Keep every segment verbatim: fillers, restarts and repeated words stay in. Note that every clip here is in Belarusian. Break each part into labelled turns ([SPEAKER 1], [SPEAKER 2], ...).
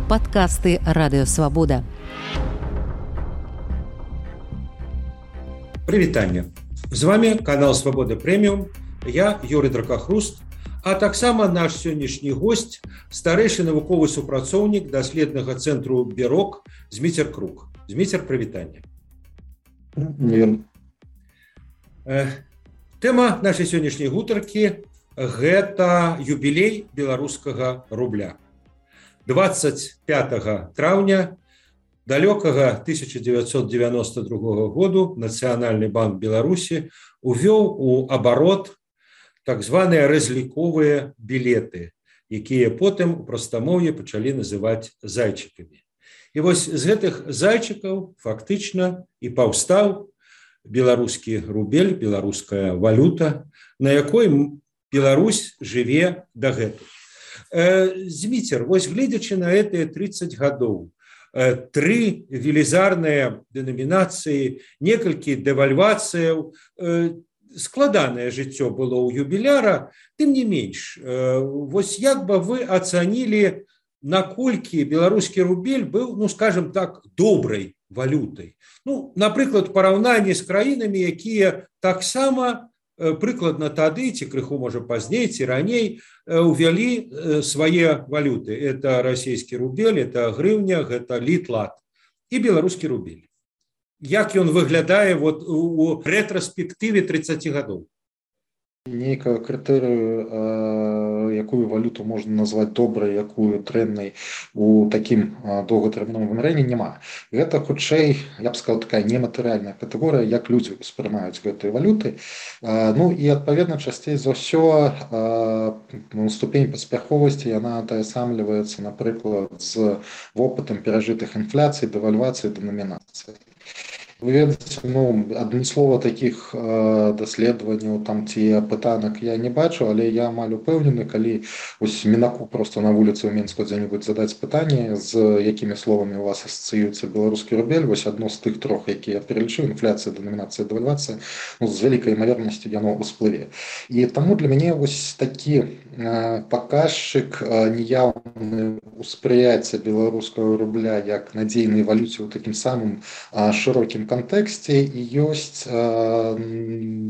[SPEAKER 1] Падкасты Радыёвабода.
[SPEAKER 2] Прывітанне. З вами канал Свабода Прэміум. Я Юрый Дракахруст, а таксама наш сённяшні гость, старэйшы навуковы супрацоўнік даследнага цэнтру Бюрок Зміцер Крук. Зміцер, прывітанне. Тэма нашай сённяшняй гутаркі гэта юбілей беларускага рубля. двадцать пятого траўня далёкага тысяча девятьсот девяносто другого году Нацыянальны банк Беларусі увёў у абарот так званыя разліковыя білеты, якія потым у прастамоўі пачалі называць зайчыкамі. І вось з гэтых зайчыкаў фактычна і паўстаў беларускі рубель, беларуская валюта, на якой Беларусь жыве дагэтуль. Зміцер, вось гледзячы на гэтыя тридцать гадоў, тры велізарныя дэнамінацыі, некалькі дэвальвацыяў, складанае жыццё было ў юбіляра, тым не менш, вось як бы вы ацанілі, наколькі беларускі рубель быў, ну, скажем так, добрай валютай. Ну, напрыклад, параўнанні з краінамі, якія таксама прыкладна тады, ці крыху, можа, пазней, ці раней, увялі свае валюты. Это расійскі рубель, это грыўня, гэта літ-лат і беларускі рубель. Як ён выглядае вот у рэтраспектыве тридцати гадоў?
[SPEAKER 3] Нейкую крытэрыю, якую валюту можна назваць добрай, якую дрэннай у такім доўгатэрміновым вымярэнні няма. Гэта хутчэй, я б сказаў, такая нематэрыяльная катэгорыя, як людзі ўспрымаюць гэтыя валюты. Ну і адпаведна часцей за ўсё ступень паспяховасці яна атаясамліваецца, напрыклад, з вопытам перажытых інфляцый, дэвальвацый, дэнамінацый. Вы ведаеце, ну, адмыслова такіх э, даследаванняў там ці пытанак я не бачу, але я амаль упэўнены, калі вось мінаку просто на вуліцы ў Мінску дзе-небудзь задаць пытанне, з якімі словамі у вас асацыюецца беларускі рубель, вось адно з тых трох, якія я пералічыў, інфляцыя, дэнамінацыя, дэвальвацыя, ну, з вялікай імавернасцю яно ўсплыве. І таму для мяне вось такі э, паказчык э, неяўны ўспрыяцця беларускага рубля як надзейнай валюце ў такім самым э, шырокім кантэксце і ёсць э,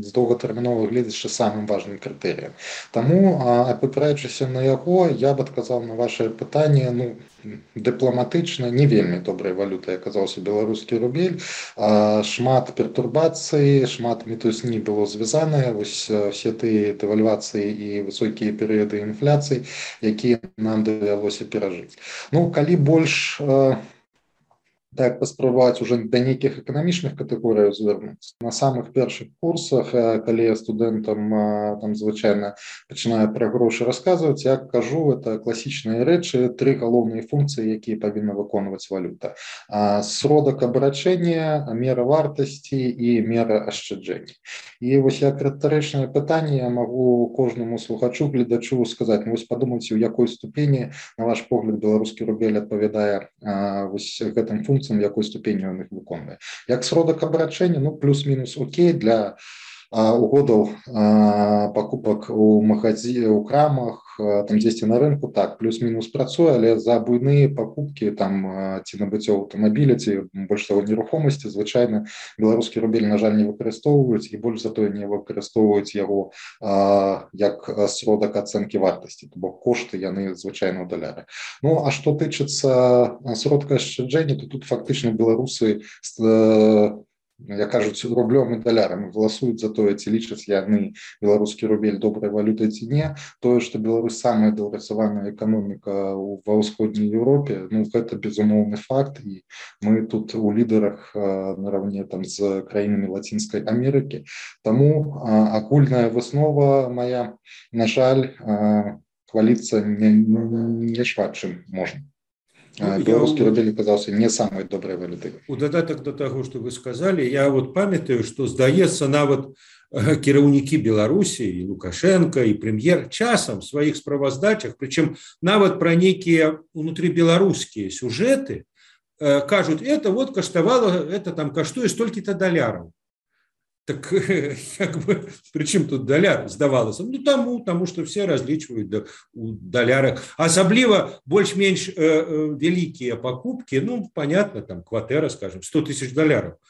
[SPEAKER 3] з доўгатэрміновага гледзяча самым важным крытэрыем. Таму, апыраючыся на яго, я б адказаў на ваше пытанне, ну, дыпламатычна, не вельмі добрай валютай аказаўся беларускі рубель. Э, шмат пертурбацый, шмат мітусні было звязанае, вось все тыя дэвальвацыі і высокія перыяды інфляцыі, якія нам давялося перажыць. Ну, калі больш э, так паспрабаваць уже да нейкіх эканамічных катэгорыяў звярнуцца. На самых першых курсах, калі я студэнтам там звычайна пачынаю пра грошы расказваць, я кажу, это класічныя рэчы, тры галоўныя функцыі, якія павінна выконваць валюта. Сродак абарачэння, мера вартасці і мера ашчаджэння. І вось як рытарычнае пытанне я магу кожнаму слухачу, гледачу сказаць, ну вось падумайце, у якой ступені, на ваш погляд, беларускі рубель адпавядае вось гэтым функцыям, в якой ступені ён іх выконвае. Як сродак абарачэння, ну, плюс-мінус окей, для а, угодаў а, пакупак у магазі, у крамах, а, там дзесьці на рынку, так, плюс-мінус працуе, але за буйныя пакупкі, там, а, ці набыццё аўтамабіля, ці больш таго нерухомасці, звычайна беларускі рубель, на жаль, не выкарыстоўваюць, і больш затое не выкарыстоўваюць яго а, як сродак ацэнкі вартасці, то бок кошты яны звычайна ў даляры. Ну, а што тычыцца сродка ашчаджэння, то тут фактычна беларусы як кажуць, рублём і далярам галасуюць за тое, ці лічаць яны беларускі рубель добрай валютай ці не. Тое, што Беларусь самая даўгасаваная эканоміка ва ўсходняй Еўропе, ну, гэта безумоўны факт, і мы тут у лідарах нараўне там з краінамі Лацінскай Амерыкі. Таму агульная выснова мая, на жаль, хваліцца не, не шмат чым можна. Беларускі рубель аказаўся не самай добрай валютай.
[SPEAKER 2] У дадатак да таго, што вы сказалі, я вот памятаю, што, здаецца, нават кіраўнікі Беларусі, і Лукашенко, і прэм'ер часам в сваіх справаздачах, прычым нават пра нейкія унутрыбеларускія сюжэты, кажуць, это вот каштавала, это там каштуе столькі-то даляраў. Так как бы, причым тут даляр здавалася? Ну таму, таму што все разлічваюць у далярах. Асабліва больш-менш э, э, вялікія пакупкі, ну понятно, там кватэра, скажем, сто тысяч даляраў.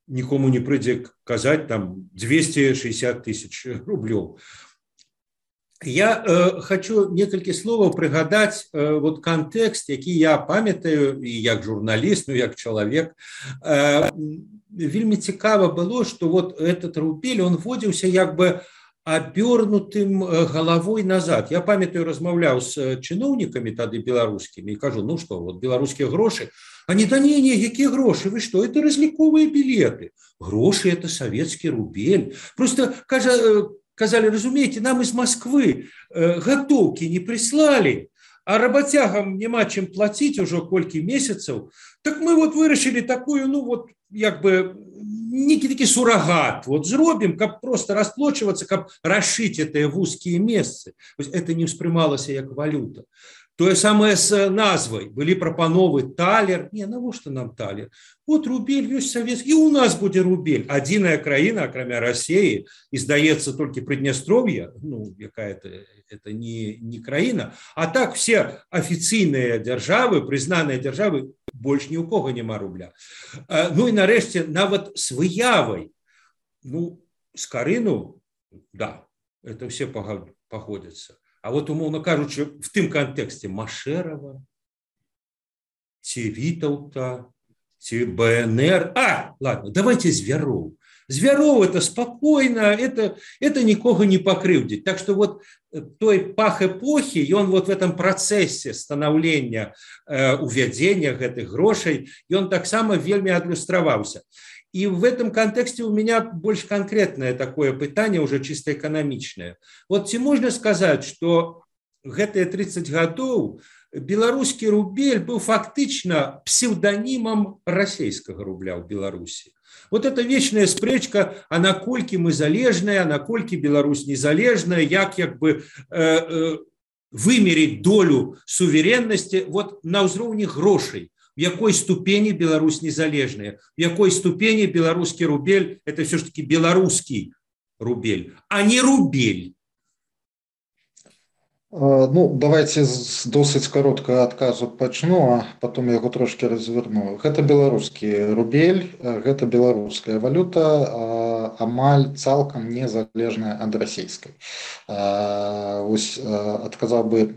[SPEAKER 2] Нікому не прыйдзе казаць там двести шестьдесят тысяч рублёў. Я э, хочу некалькі словаў прыгадаць э, вот кантэкст, які я памятаю і як журналіст, ну як чалавек. Э, вельмі цікава было, что вот этот рубель, он вводзіўся як бы абернутым галавой назад. Я памятаю, размаўляў з чыноўнікамі тады беларускімі і кажу, ну что, вот беларускія грошы, они, да не, не, якія грошы, вы что, это разліковыя билеты. Грошы это советский рубель. Просто, кажа, казали, разумеете, нам из Москвы готовки не прислали, а работягам няма чым платить уже колькі месяцаў, так мы вот вырашили такую, ну вот, як бы, некий таки суррогат, вот зробим, как просто расплачиваться, как расшить это в узкие месцы. Это не успрымалася як валюта. Тое самае з назвай. Былі прапановы талер. Не, навошта нам талер? Вот рубель, ёсць савецкі, і у нас будзе рубель. Адзіная краіна, акрамя России, і здаецца толькі Прыднястров'я, ну, якая-то это не, не краіна, а так все афіцыйныя дзяржавы, прызнаныя дзяржавы, больш ні ў кого няма рубля. Ну і нарэшце, нават з выявай, ну, з Карыну, да, это все погодятся. А вот, умовно кажучи, в тым контексте Машерова, ці Вітаўта, ці БНР. А, ладно, давайте Звяроў. Звяроў это спокойно, это, это никого не покрывдзіць. Так что вот той пах эпохи, и он вот в этом процессе становления, э, увядзення гэтых грошей, и он таксама вельмі адлюстраваўся. И в этом контексте у меня больше конкретное такое пытание, уже чисто экономичное. Вот ці можно сказать, что гэтыя тридцать гадоў белорусский рубель был фактично псевдонимом российского рубля в Беларуси. Вот эта вечная спрэчка, а наколькі мы залежная, а наколькі Беларусь незалежная, як як бы э, э, вымерить долю суверенности вот на ўзроўні грошей. В якой ступени Беларусь незалежная, в якой ступени белорусский рубель, это все-таки белорусский рубель, а не рубель.
[SPEAKER 3] Ну, давайте з досыць кароткага адказу пачну, а потом я яго трошки разверну. Гэта беларускі рубель, гэта беларуская валюта, амаль цалкам незалежная ад расійскай. Вось адказаў бы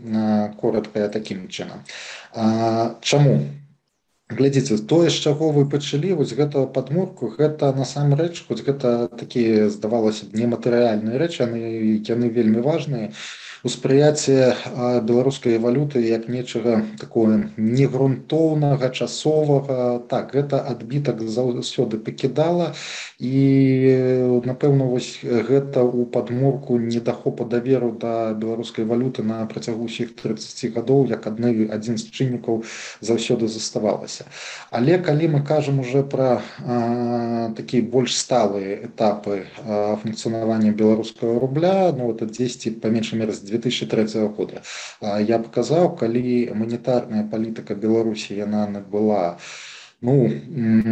[SPEAKER 3] коротка такім чынам. Чаму? Глядзіце, тое, з чаго вы пачалі, вось гэтую падмурку, гэта насамрэч, хоць гэта такія, здавалася б, нематэрыяльныя рэчы, яны, яны вельмі важныя. Успрыяцце беларускай валюты як нечага такое негрунтоўнага, часовага, так, гэта адбітак заўсёды пакідала, і, напэўна, вось гэта ў падмурку недахопа даверу да беларускай валюты на працягу ўсіх трыццаці гадоў, як адны, адзін з чыннікаў заўсёды заставалася. Але калі мы кажам уже пра такія больш сталыя этапы функцыянавання беларускага рубля, ну, это дзесьці па меншай меры з две тысячи трэцяга года, я паказаў, калі манетарная палітыка Беларусі яна набыла, ну,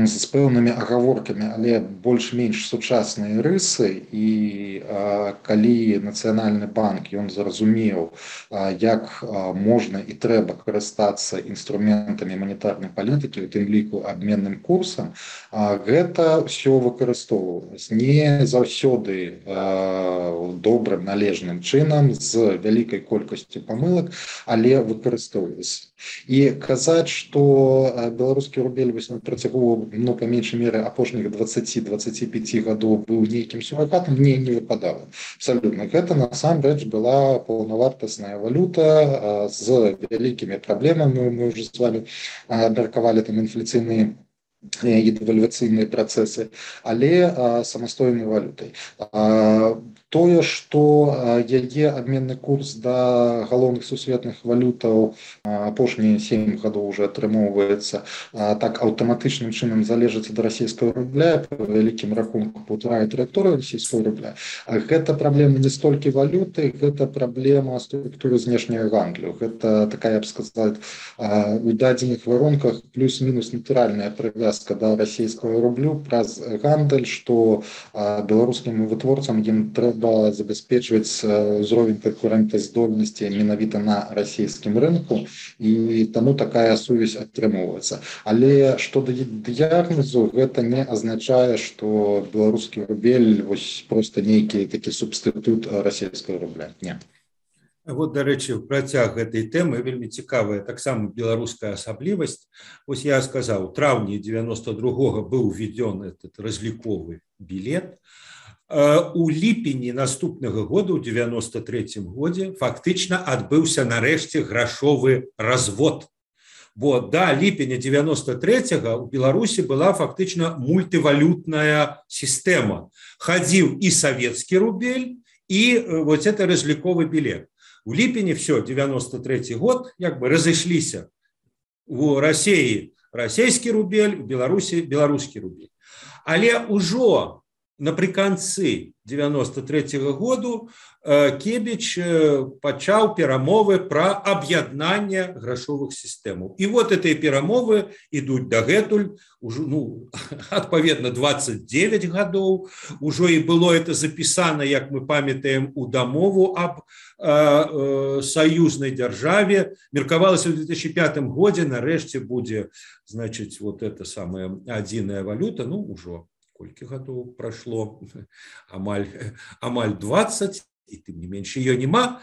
[SPEAKER 3] з пэўнымі агаворкамі, але больш-менш сучасныя рысы, і а, калі Нацыянальны банк ён зразумеў, а, як а, можна і трэба карыстацца інструментамі манетарнай палітыкі, у тым ліку абменным курсам, а, гэта ўсё выкарыстоўвалася не заўсёды а, добрым належным чынам, з вялікай колькасцю памылак, але выкарыстоўвалася. І казаць, што беларускі рубель на працягу, ну, па меншай меры апошніх дваццаці дваццаці пяці гадоў быў нейкім суррогатам, мне не выпадала. Абсалютна. Гэта насамрэч была паўнавартасная валюта з вялікімі праблемамі. Мы ўжо з вами абмеркавалі там інфляцыйныя і дэвальвацыйныя працэсы, але самастойнай валютай. Тое, што яе абменны курс да галоўных сусветных валютаў апошнія сем гадоў уже атрымоўваецца так аўтаматычным чынам залежыць ад расійскага рубля, па вялікім рахунку паўтарае траекторыю расійскага рубля. Гэта праблема не столькі валюты, гэта праблема структуры знешняга гандлю. Гэта такая, я б сказаць, у дадзеных варунках плюс-мінус натуральная прывязка да расійскага рублю праз гандаль, што беларускім вытворцам ім трэба забяспечваць узровень канкурэнтаздольнасці менавіта на расійскім рынку, і таму такая сувязь атрымоўваецца. Але што да дыягназу, гэта не азначае, што беларускі рубель вось проста нейкі такі субстытут расійскага рубля. Не.
[SPEAKER 2] Вот, дарэчы, працяг гэтай тэмы вельмі цікавая таксама беларуская асаблівасць. Вось я сказаў, у траўні девяносто другога быў уведзён этот разліковы білет. У ліпені наступнага года, у девяносто трэцім годзе, фактычна адбыўся нарэшце грашовы развод. Бо да ліпеня девяносто трэцяга у Беларусі была фактычна мультывалютная сістэма. Хадзіў і савецкі рубель, і вот это разліковы білет. У ліпені все, девяносто трэці год, як бы разышліся. У Расіі расійскі рубель, у Беларусі беларускі рубель. Але ўжо напрыканцы девяносто трэцяга году Кебіч пачаў перамовы пра аб'яднанне грашовых сістэмаў. І вот гэтыя перамовы ідуць дагэтуль, ужо, ну, адпаведна двадцать девять гадоў, ужо і было это запісана, як мы памятаем, у дамову аб э, саюзнай дзяржаве. Меркавалася ў две тысячи пятым годзе, нарэшце будзе, значыць, вот это самая адзіная валюта, ну, ужо колькі гадоў прашло, амаль, амаль двадцать, і тым не менш ее няма.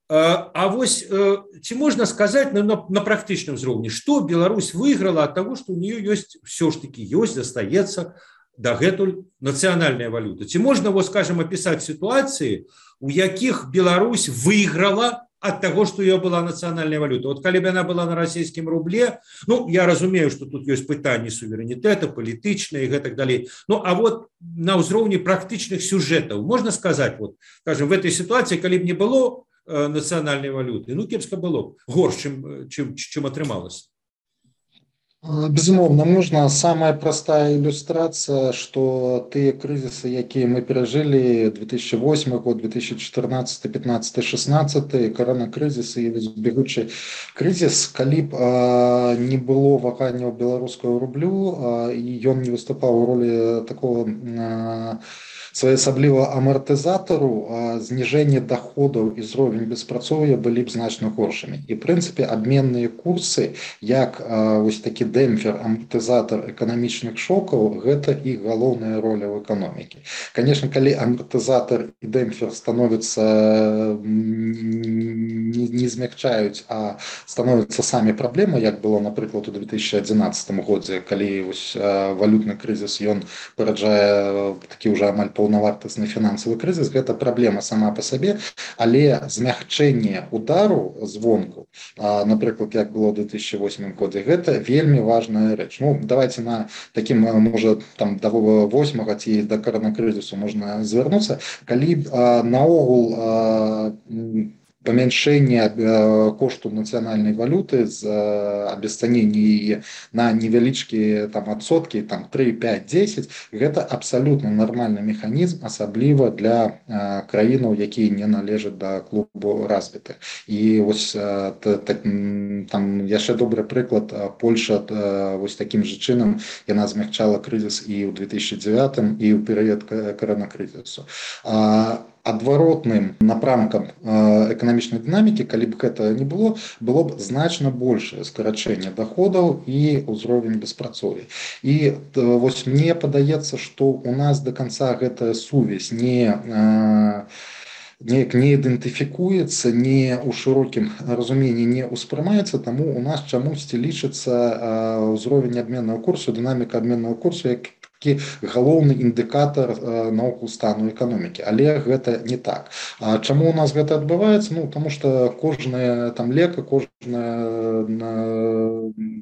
[SPEAKER 2] А вось ці можна сказаць на, на, на практычным узроўні, што Беларусь выйграла ад таго, што у нее ёсць, все ж таки ёсць, застаецца дагэтуль нацыянальная валюта. Ці можна, вот, скажем, опісаць сітуацыі, у якіх Беларусь выйграла от того, что ее была национальная валюта. Вот калі бы она была на российском рубле, ну, я разумею, что тут есть пытанне суверенитета, политичное и так далее. Ну, а вот на ўзроўні практычных сюжетов, можно сказать, вот, скажем, в этой ситуации, калі бы не было э, национальной валюты, ну, кепска было горш, чым, чым, чым атрымалось.
[SPEAKER 3] Безумоўна, можна. Самая простая иллюстрация, что тыя кризисы, якія мы перажылі две тысячи восьмы год, две тысячи четырнадцатый, пятнадцатый, шестнадцатый, коронакризис і бегучы кризис, калі б а, не было ваганняў беларускага рублю, а, і ён не выступаў у ролі такого а, своеасаблівага амартызатару, зніжэнне доходаў і ўзровень беспрацоўя былі б значна горшымі. І, в прынцыпе, абменныя курсы, як вось такі дэмпфер, амартызатар эканамічных шокаў, гэта іх галоўная роля ў эканомікі. Конечно, калі амартызатар і дэмпфер становяцца не, не змягчаюць, а становяцца самі праблемы, як было, напрыклад, у две тысячи одиннадцатым годзе, калі вось валютны крызіс, ён параджае такі ўжо амаль паўнавартасны фінансавы крызіс, гэта праблема сама па сабе, але змягчэнне удару звонку, напрыклад, як было ў две тысячи восьмым годзе, гэта вельмі важная рэч. Ну, давайте на такім, можа, там да восьмага ці да коронакрызісу можна звярнуцца, калі наогул памяншэнне кошту нацыянальнай валюты з абесцанення яе на невялічкія там адсоткі, там три, пять, десять, гэта абсалютна нармальны механізм, асабліва для краінаў, якія не належаць да клубу развітых. І вось там яшчэ добры прыклад, Польша вось такім жа чынам яна змягчала крызіс і ў две тысячи девятым, і ў перыяд коронакрызісу. Адваротным напрамкам эканамічнай дынамікі, калі б гэта не было, было б значна большае скарачэнне доходаў і ўзровень беспрацоўя. І вось мне падаецца, што у нас до конца гэтая сувязь не неяк не ідэнтыфікуецца, не ў шырокім разуменні не ўспрымаецца, таму у нас чамусьці лічыцца ўзровень абменнага курсу, дынаміка абменнага курсу як такі галоўны індыкатар наогул стану эканомікі, але гэта не так. А чаму у нас гэта адбываецца? Ну тому что кожная там лека, кожная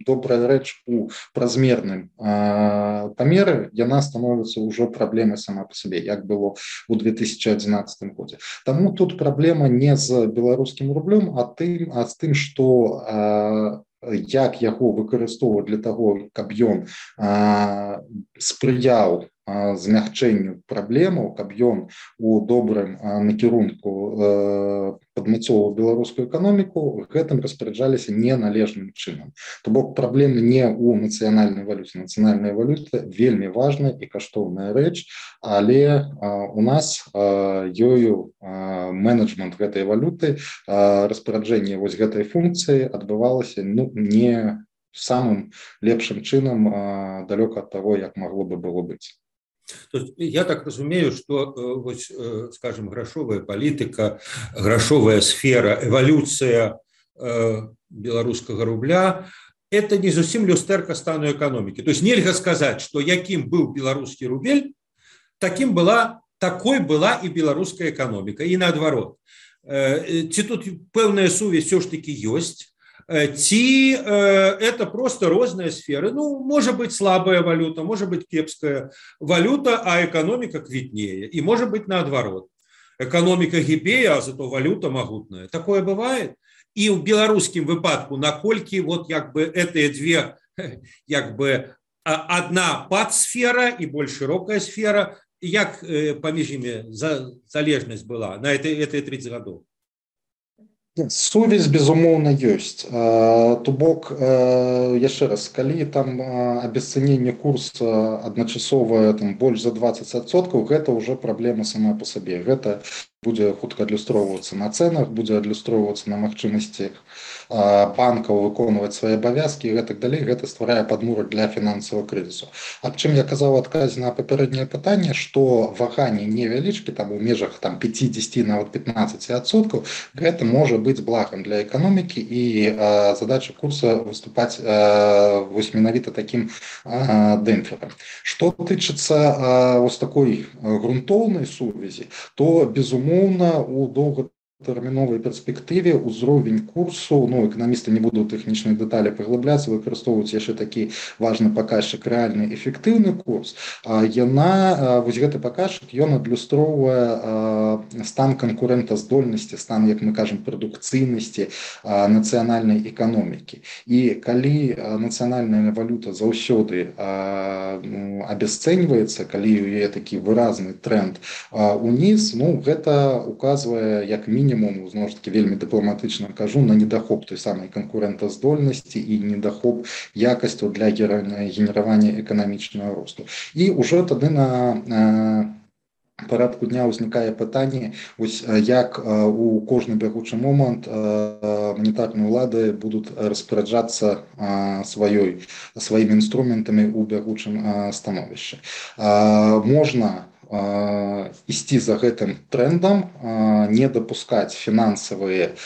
[SPEAKER 3] добрая рэч у празмерным памеры яна становіцца ўжо праблемай сама па сабе, як было у две тысячи адзінаццатым годзе. Таму тут праблема не з беларускім рублём, а тым, а з тым, што як яго выкарыстоўваць для таго, каб ён спрыяў змягчэнню праблемаў, каб ён у добрым накірунку падмацоўваў беларускую эканоміку, гэтым распараджаліся неналежным чынам. То бок праблемы не ў нацыянальнай валюце. Нацыянальная валюта вельмі важная і каштоўная рэч, але у нас ёю менеджмент гэтай валюты, распараджэнне вось гэтай функцыі адбывалася ну, не самым лепшым чынам, далёка ад таго, як магло бы было быць.
[SPEAKER 2] То есть, я так разумею, что, вось, скажем, грашовая палітыка, грашовая сфера, эволюция беларускага рубля – это не зусім люстэрка стану эканомікі. То есть, нельга сказаць, что якім быў беларускі рубель, таким была, такой была и беларуская эканоміка, и наадварот. Ці тут пэўная сувязь все ж таки ёсць, ці это просто розныя сферы. Ну, может быть слабая валюта, может быть кепская валюта, а экономика квітнее. И может быть наадварот. Экономика гибее, а зато валюта могутная. Такое бывает. И в белорусском выпадку, накольки вот как бы эти две, как бы одна подсфера и более широкая сфера, як паміж імі залежнасць была на этой тридцать гадоў?
[SPEAKER 3] Сувязь, безумоўна, ёсць. То бок, яшчэ раз, калі там абесцэненне курса адначасовае там больш за двадцать адсоткаў, гэта ўжо праблема сама па сабе. Гэта будзе хутка адлюстроўвацца на цэнах, будзе адлюстроўвацца на магчымасці банкаў выконваць свае абавязкі і гэтак далей. Гэта стварае падмурак для фінансавага крызісу. Аб чым я казаў у адказе на папярэдняе пытанне, што ваганні невялічкі, там у межах там пятьдесят, нават пятнадцать адсоткаў, гэта можа быць благам для эканомікі, і задача курса выступаць вось менавіта такім дэмпферам. Што тычыцца вось такой грунтоўнай сувязі, то безумоўна у доўгатэрміновай перспектыве ўзровень курсу, ну эканамісты не буду ў тэхнічныя дэталі паглыбляцца, выкарыстоўваюць яшчэ такі важны паказчык рэальны эфектыўны курс. Яна вось гэты паказчык ён адлюстроўвае стан канкурэнтаздольнасці, стан, як мы кажам, прадукцыйнасці нацыянальнай эканомікі. І калі нацыянальная валюта заўсёды абясцэньваецца, калі у яе такі выразны тренд уніз, ну гэта указвае як мінімум, зноў ж таки вельмі дыпламатычна кажу, на недахоп той самай канкурэнтаздольнасці і недахоп якасцяў для генеравання эканамічнага росту. І ўжо тады на парадку дня ўзнікае пытанне, вось як у кожны бягучы момант манетарныя ўлады будуць распараджацца сваёй сваімі інструментамі ў бягучым становішчы. Можна ісці за гэтым трендам, не дапускаць фінансавыя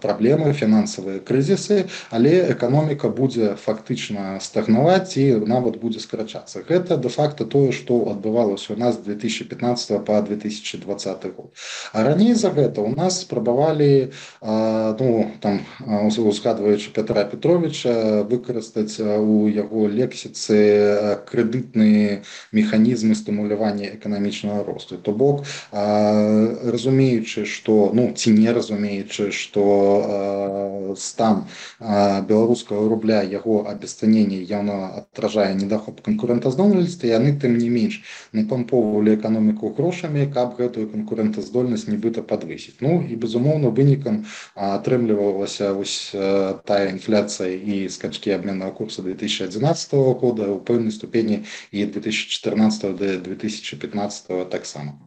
[SPEAKER 3] праблемы, фінансавыя крызісы, але эканоміка будзе фактычна стагнаваць і нават будзе скарачацца. Гэта дэ-факта тое, што адбывалася у нас з две тысячи пятнадцатого па две тысячи двадцаты год. А раней за гэта у нас спрабавалі, ну, там, узгадваючы Пятра Петровича, выкарыстаць у яго лексіцы крэдытныя механізмы стымулявання эканамічнага росту. То бок, разумеючы, што, ну, ці не разумеючы, што стан беларускага рубля, яго абесцэненне яно адражае недахоп канкурэнтаздольнасці, яны тым не менш напампоўвалі эканоміку грошамі, каб гэтую канкурэнтаздольнасць нібыта падвысіць. Ну і безумоўна вынікам атрымлівалася вось тая інфляцыя і скачкі абменнага курса две тысячи адзінаццатого года, у пэўнай ступені і две тысячи чатырнаццатого да две тысячи пятнадцатого таксама.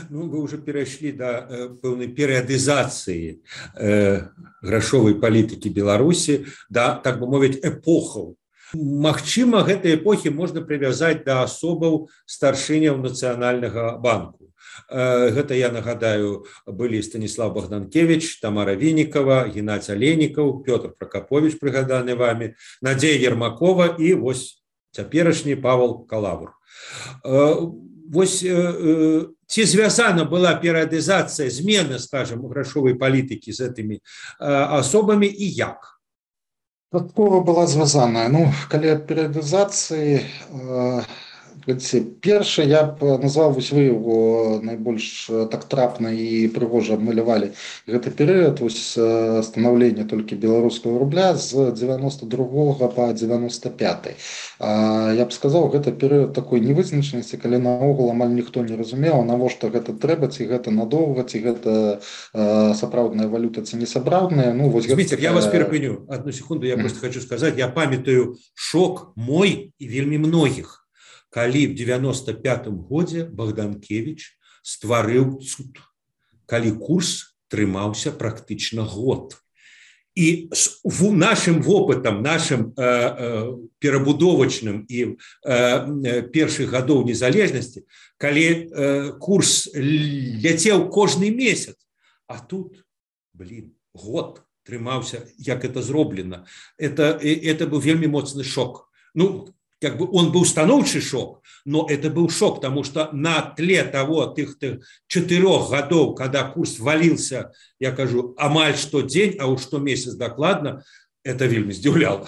[SPEAKER 2] Ну, вы уже перайшлі да э, пэўнай перыядызацыі э, грашовай палітыкі Беларусі, да, так бы мовіць, эпохаў. Магчыма, гэтыя эпохі можна прывязаць да асобаў старшыняў Нацыянальнага банку. Э, гэта, я нагадаю, былі Станіслав Богданкевич, Тамара Вінікова, Геннадзь Алейнікаў, Пётр Пракапович, прыгаданы вами, Надзея Ермакова і вось цяперашні Павел Калавр. Вось ці звязана была перыядызацыя змены, скажем, грашовай палітыкі з гэтымі асобамі і як?
[SPEAKER 3] Часткова была звязаная. Ну, калі перыядызацыі, першы я б назваў, вось вы его найбольш так трапна і прыгожа абмалявалі гэты перыяд, вось станаўлення толькі беларускага рубля з дзевяноста другога па дзевяноста пяты. Я б сказаў, гэта перыяд такой невызначанасці, калі наогул амаль ніхто не разумеў, навошта гэта трэба, ці гэта надоўга, ці гэта сапраўдная валюта, ці не сапраўдная. Ну, вось
[SPEAKER 2] Зміцер,
[SPEAKER 3] гэта...
[SPEAKER 2] я вас перапыню. Одну секунду, я mm. просто хочу сказаць, я памятаю шок мой і вельмі многіх. Калі в девяносто пятым годзе Богданкевич стварыў цуд, калі курс трымаўся практычна год. І з нашым вопытам, нашым э, э, перабудовачным і э, першых гадоў незалежнасці, калі э, курс ляцеў кожны месяц, а тут, блин, год трымаўся, як это зроблена. Это, это быў вельмі моцны шок. Ну, как бы он был станоўчы шок, но это был шок, потому что на тле того, тых, тых четырех годов, когда курс валился, я кажу, амаль что день, а уж что месяц докладно, это вельмі здзіўляла.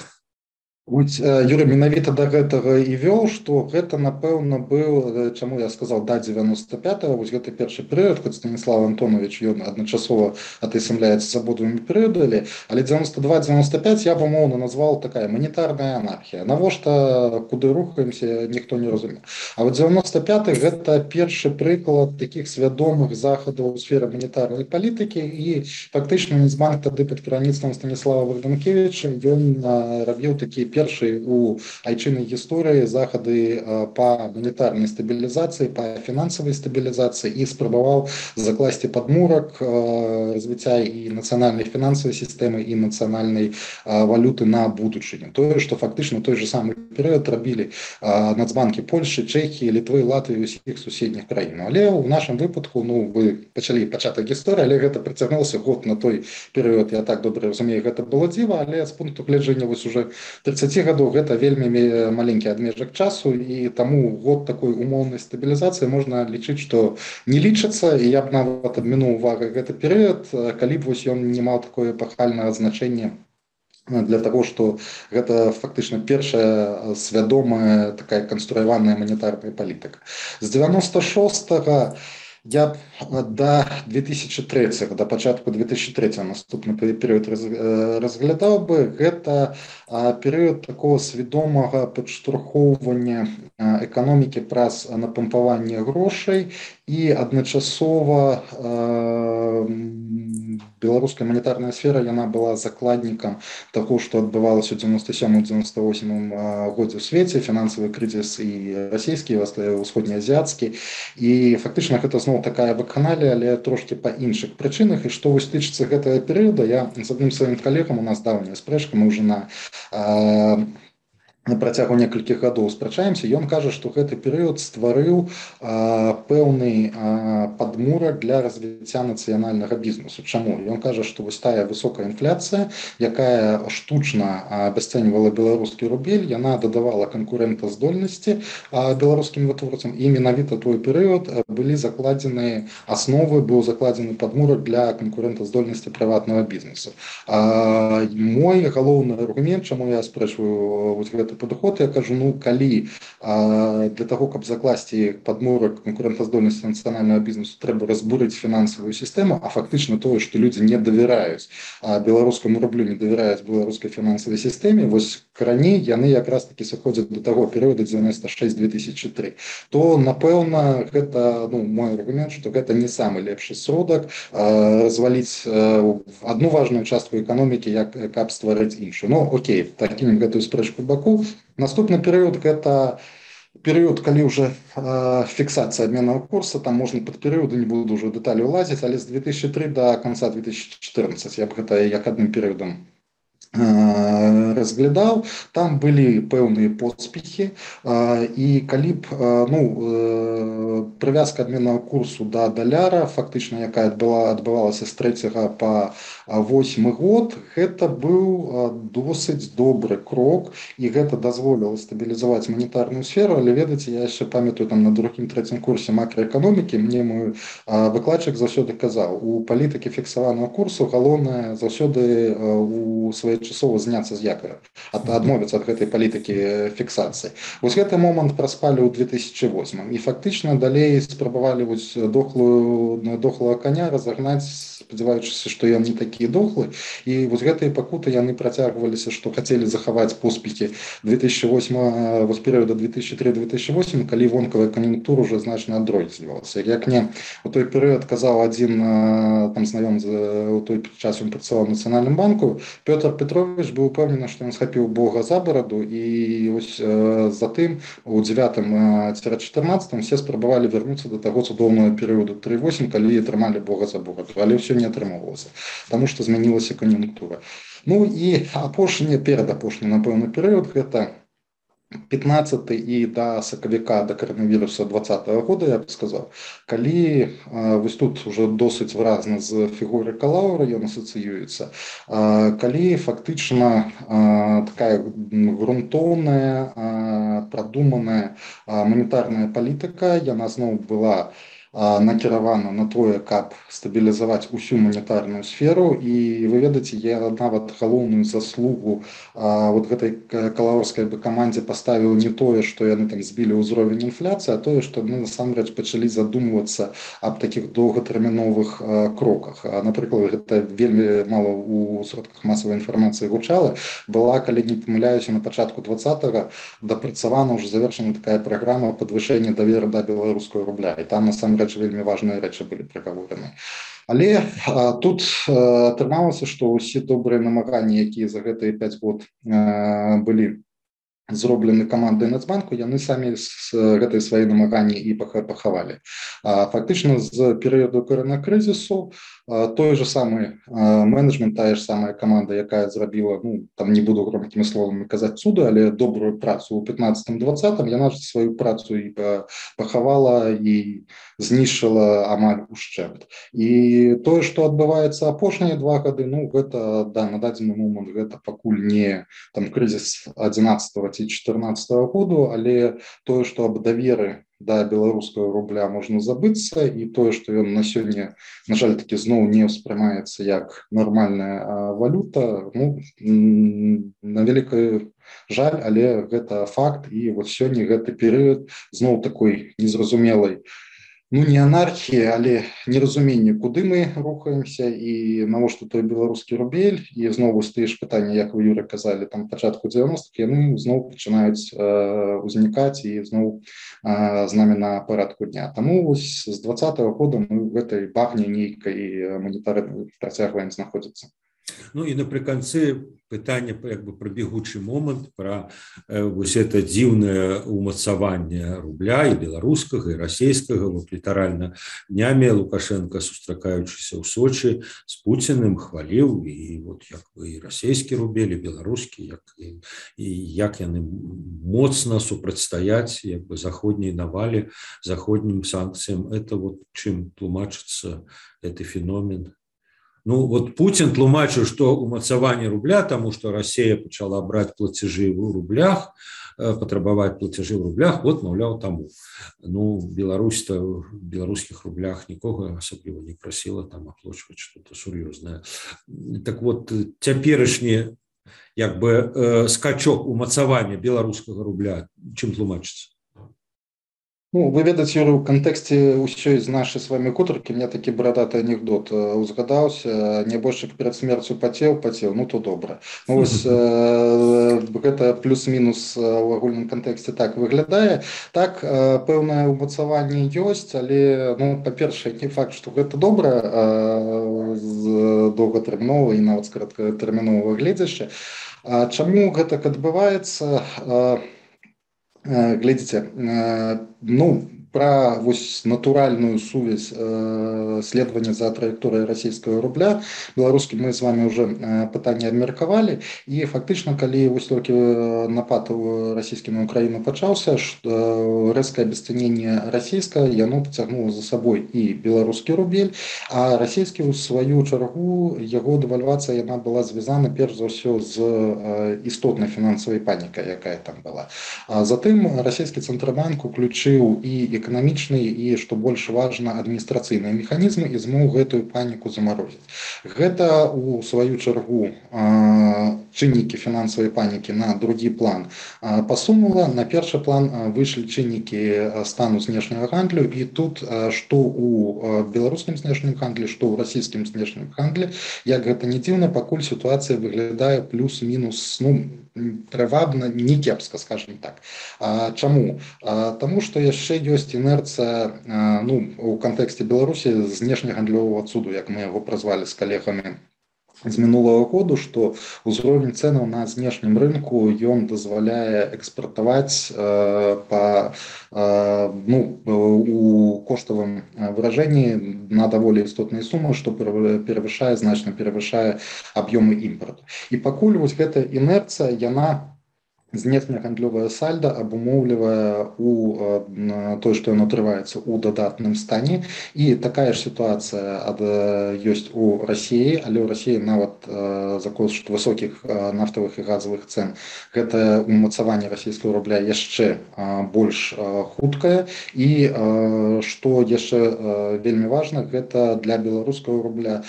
[SPEAKER 3] Вось, Юрий, менавіта да гэтага і вёў, што гэта, напэўна, быў, чаму я сказаў, да девяносто пятого, вось гэты першы перыяд, хоць Станіслав Антонович, ён адначасова атысамляецца з абодвымі перыядамі, але девяносто два девяносто пять я б умоўна назваў такая манетарная анархія. Навошта, куды рухаемся, ніхто не разумеў. А вот девяносто пяты гэта першы прыклад такіх свядомых захадаў у сферы манетарнай палітыкі, і фактычна Нацбанк тады пад кіраўніцтвам Станіслава Богданкевича ён рабіў такі перший у айчыннай гісторыі захады па манетарнай стабілізацыі, па фінансавай стабілізацыі і спрабаваў закласці падмурак развіцця і нацыянальнай фінансавай сістэмы, і нацыянальнай валюты на будучыню. Тое, што фактычна той же самы перыяд рабілі Нацбанкі Польшчы, Чэхіі, Літвы, Латвіі, усіх суседніх краін. Але ў нашым выпадку, ну, вы пачалі пачатак гісторыі, але гэта працягнуўся год на той перыяд, я так добра разумею, гэта было дзіва, але з пункту гледжання вось уже тридцать гадоў гэта вельмі маленькі адмежак часу, і таму год такой умоўнай стабілізацыі можна лічыць, што не лічыцца, і я б нават абмінуў увагу гэты перыяд, калі б вось ён не маў такое эпахальнае значэнне для того, што гэта фактычна першая свядомая такая канструяваная манетарная палітыка. З девяносто шостого я до две тысячи третьего, до пачатку две тысячи третьего наступны перыяд разглядаў бы, гэта перыяд такого свядомага падштурхоўвання эканомікі праз напампаванне грошай, і адначасова беларуская манетарная сфера, яна была закладнікам таго, што адбывалася ў девяносто сёмым девяносто восьмым годзе ў свеце, фінансавы крызіс і расійскі, і ўсходнеазіяцкі, і фактычна гэта зноў такая ваканалія, але трошкі па іншых прычынах. І што вось тычыцца гэтага перыяда, я з адным сваім калегам, у нас даўняя спрэчка, мы ўжо на на працягу некалькіх гадоў спрачаемся, ён кажа, што гэты перыяд стварыў а, пэўны а, падмурак для развіцця нацыянальнага бізнесу. Чаму? Ён кажа, што вось тая высокая інфляцыя, якая штучна абясцэньвала беларускі рубель, яна дадавала канкурэнтаздольнасці беларускім вытворцам, і менавіта той перыяд былі закладзены асновы, быў закладзены падмурак для канкурэнтаздольнасці прыватнага бізнесу. А, мой галоўны аргумент, чаму я спрэчваю вось гэты падыход, я кажу, ну, калі а, для того, каб закласці падмурак канкурэнтаздольнасці нацыянальнага бізнесу, трэба разбурыць фінансавую сістэму, а фактычна тое, што людзі не давяраюць беларускаму рублю, не давяраюць беларускай фінансавай сістэме, вось раней яны якраз такі сыходзяць да таго перыяду девяносто шесть две тысячи три, то, напэўна, гэта, ну, мой аргумент, што гэта не самы лепшы сродак а, разваліць а, одну важную частку эканомікі, як каб стварыць іншую. Ну, окей, такім гэтую спрэчку баку. Наступны перыяд гэта перыяд, калі ўжо фіксацыя абменнага курса, там можна пад перыяды, не буду ўжо дэталі ўлазіць, але з две тысячи третьего до конца две тысячи четырнадцатого я б гэта як адным перыядам разглядаў, там былі пэўныя поспехі, і калі б ну, прывязка абменнага курсу да даляра, фактычна якая адбыла, адбывалася з трэцяга па восьмы год, гэта быў досыць добры крок, і гэта дазволіла стабілізаваць манетарную сферу, але ведаеце, я яшчэ памятаю там на другім трэцім курсе макроэканомікі, мне мой выкладчык заўсёды казаў, у палітыкі фіксаванага курсу галоўнае заўсёды у свае часова зняцца з якара, ад, адмовіцца ад гэтай палітыкі фіксацыі. Вось гэты момант праспалі ў две тысячы восьмым, і фактычна далей спрабавалі вось дохлую, дохлага коня разагнаць, спадзяваючыся, што ён не такі дохлы, і вось гэтыя пакуты яны працягваліся, што хацелі захаваць поспехі две тысячи восьмага, вось перыяда две тысячи трэцяга - две тысячи восьмага, калі вонкавая кан'юнктура ўжо значна адрознівалася. Як мне у той перыяд казаў адзін там знаём у той час ён працаваў у Нацыянальным банку, Пётр Петрович быў упэўнены, што ён схапіў Бога за бараду, і вось затым у дзевятым чатырнаццатым все спрабавалі вярнуцца да таго цудоўнага перыяду тры восем, калі атрымалі Бога за бараду, але ўсё не атрымоўвалася, таму што змянілася кан'юнктура. Ну і апошні, перадапошні, напэўна, перыяд гэта пятнадцаты і да сакавіка, да каранавіруса двадцатага года, я б сказаў, калі вось тут уже досыць выразна з фігурай Калаўра ён асацыюецца, калі фактычна такая грунтоўная, прадуманая манетарная палітыка, яна зноў была накіравана на тое, каб стабілізаваць усю манетарную сферу, і вы ведаеце, я нават галоўную заслугу вот гэтай калаўрскай бы камандзе паставіў не тое, што яны там збілі ўзровень інфляцыі, а тое, што мы насамрэч пачалі задумвацца аб такіх доўгатэрміновых кроках. Напрыклад, гэта вельмі мала ў сродках масавай інфармацыі гучала, была, калі не памыляюся, на пачатку двадцатага дапрацавана ўжо завершана такая праграма падвышэння даверу да беларускага рубля, і там насамрэч вельмі важныя рэчы былі прагавораны. Але а, тут атрымалася, што ўсе добрыя намаганні, якія за гэтыя пяць год а, былі зроблены камандай Нацбанку, яны самі з гэтай свае намаганні і пахавалі. А, фактычна з перыяду коронакрызісу той же самый менеджмент, тая ж самая каманда, якая зрабіла, ну, там не буду громкімі словамі казаць цуды, але добрую працу ў пятнадцатым двадцатым, яна ж сваю працу і пахавала і знішчыла амаль ушчэнт. І тое, што адбываецца апошнія два гады, ну, гэта, да, на дадзены момант гэта пакуль не там крызіс адзінаццатага ці чатырнаццатага году, але тое, што аб даверы да беларускага рубля можна забыцца, і тое, што ён на сёння, на жаль, такі зноў не ўспрымаецца як нармальная валюта, ну, на вялікую жаль, але гэта факт, і вот сёння гэты перыяд зноў такой незразумелай, ну, не анархіі, але неразуменне, куды мы рухаемся і навошта той беларускі рубель, і зноў вось тыя ж пытанні, як вы, Юра, казалі, там пачатку дзевяностых, яны зноў пачынаюць э, узнікаць і зноў э, з намі на парадку дня. Таму вось з двадцатага года мы в гэтай багне нейкай манетарнай працягваем знаходзіцца.
[SPEAKER 2] Ну і напрыканцы пытанне як бы пра бегучы момант, пра э, вось это дзіўнае умацаванне рубля і беларускага і расійскага. Вот літаральна днямі Лукашенко, сустракаючыся ў Сочы з Пуціным, хваліў і вот як бы і расійскі рубель, і беларускі, як і, і як яны моцна супрацьстаяць як бы заходняй навалі, заходнім санкцыям. Это вот чым тлумачыцца гэты феномен. Ну, вот Путин тлумачыў, што умацаванне рубля, таму што Расія пачала браць плацежы ў рублях, патрабаваць плацежы ў рублях, вот, маўляў, таму. Ну, Беларусь-то в беларускіх рублях нікога асабліва не прасіла там аплачваць што-то сур'ёзнае. Так вот, цяперашні як бы скачок умацавання беларускага рубля, чым тлумачыцца?
[SPEAKER 3] Ну, вы ведаеце, Юры, у кантэксце ўсёй з нашай з вами гутаркі мне такі барадаты анекдот узгадаўся: нябожчык перад смерцю пацеў, пацеў, ну то добра. Ну, вось э, гэта плюс-мінус у агульным кантэксце так выглядае. Так, э, пэўнае умацаванне ёсць, але, ну, па-першае, не факт, што гэта добра э, з доўгатэрміновага і нават з кароткатэрміновага гледзяшча. А чаму гэтак адбываецца? Э, Глядзіце, ну, про вось натуральную сувязь э, следования за траекторией российского рубля белорусский мы с вами уже э, пытание обмерковали и фактично коли вось только напад российский на Украину почался что резкое обесценение российское яно потягнуло за собой и белорусский рубель а российский у свою чаргу его девальвация она была связана перш за все з э, істотной финансовой паникой якая там была а затым российский центробанк уключил и эканамічныя і што больш важна адміністрацыйныя механізмы і змог гэтую паніку замарозіць. Гэта у сваю чаргу чыннікі фінансавай панікі на другі план пасунула. На першы план выйшлі чыннікі стану знешняга гандлю і тут што у беларускім знешнім гандлі, што ў расійскім знешнім гандлі, як гэта не дзіўна, пакуль сітуацыя выглядае плюс-мінус ну трывабна, не кепска, скажем так. А, чаму? А, таму што яшчэ ёсць інерцыя ну, у кантэксце Беларусі знешнегандлёвага цуду, як мы яго празвалі з калегамі з мінулого году, што ўзровень цэнаў на знешнім рынку ён дазваляе экспартаваць э, па э, ну, у коштавым выражэнні на даволі істотныя сумы, што перавышае, значна перавышае аб'ёмы імпарту. І пакуль вось гэта інерцыя, яна знешнегандлёвае сальда абумоўлівае у той, што яно трываецца ў дадатным стане. І такая ж сітуацыя ад, ёсць у Расіі, але ў Расіі нават за кошт высокіх нафтавых і газавых цэн гэта умацаванне расійскага рубля яшчэ больш хуткае. І што яшчэ вельмі важна, гэта для беларускага рубля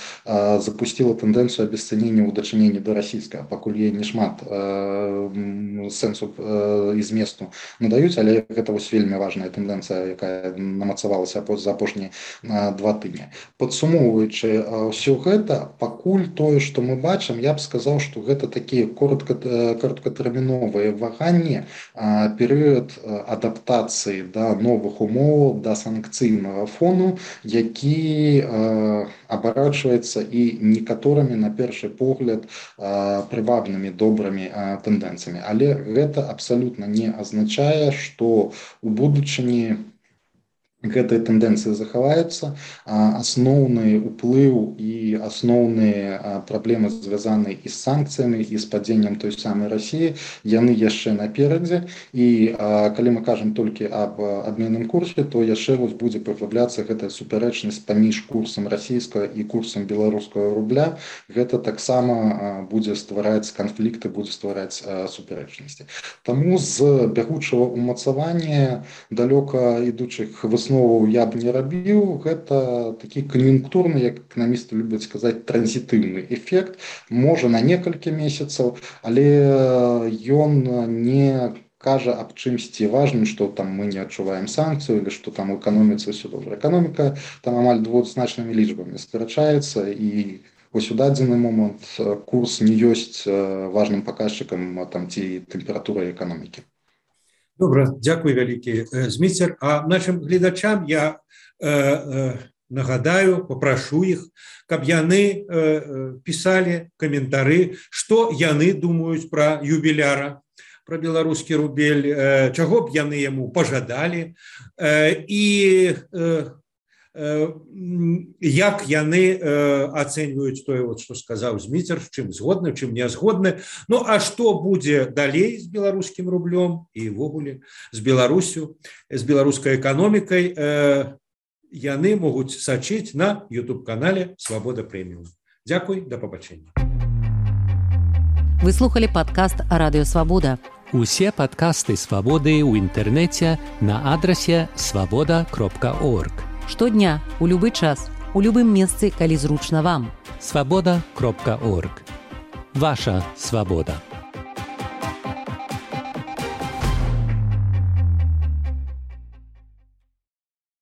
[SPEAKER 3] запусціла тэндэнцыю абесцэнення ў дачыненні да расійскага, пакуль є не шмат сэнсу і зместу надаюць, але гэта вось вельмі важная тэндэнцыя, якая намацавалася за апошнія два тыдні. Падсумоўваючы ўсё гэта, пакуль тое, што мы бачым, я б сказаў, што гэта такія кароткатэрміновыя ваганні, перыяд адаптацыі да новых умоваў, да санкцыйнага фону, які абарачваецца і некаторымі на першы погляд прывабнымі, добрымі тэндэнцыямі. Але гэта абсалютна не азначае, што у будучыні гэтыя тэндэнцыі захаваюцца. Асноўны ўплыў і асноўныя праблемы звязаныя і з санкцыямі, і з падзеннем той самай Расіі, яны яшчэ наперадзе. І калі мы кажам толькі аб абменным курсе, то яшчэ вось будзе праглыбляцца гэтая супярэчнасць паміж курсам расійскага і курсам беларускага рубля. Гэта таксама будзе ствараць канфлікты, будзе ствараць супярэчнасці. Таму з бягучага умацавання далёка ідучых высноваў я б не рабіў. Гэта такі кан'юнктурны, як эканамісты любяць сказаць, транзітыўны эфект. Можа на некалькі месяцаў, але ён не кажа аб чымсьці важным, што там мы не адчуваем санкцыю, или што там у эканоміцы ўсё добра. Эканоміка там амаль двухзначнымі лічбамі скарачаецца, і вось у дадзены момант курс не ёсць важным паказчыкам там ці тэмпературы эканомікі.
[SPEAKER 2] Добра, дзякуй вялікі, Зміцер. А нашим гледачам я э, э, нагадаю, папрашу іх, каб яны э, пісалі каментары, што яны думаюць пра юбіляра, пра беларускі рубель, э, чаго б яны яму пажадалі, э, і э, як яны ацэньваюць тое, што сказаў Зміцер, чым згодны, чым не згодны. Ну, а што будзе далей з беларускім рублём і ўвогуле з Беларусю, з беларускай эканомікай, яны могуць сачыць на ютуб-канале Свабода Прэміум. Дзякуй, да пабачэння.
[SPEAKER 1] Вы слухалі падкаст Радыё Свабода.
[SPEAKER 4] Усе падкасты Свабоды ў інтэрнэце на адрасе свабода кропка орг.
[SPEAKER 1] Штодня, у любы час, у любым месцы, калі зручна вам.
[SPEAKER 4] свабода кропка орг. Ваша свабода.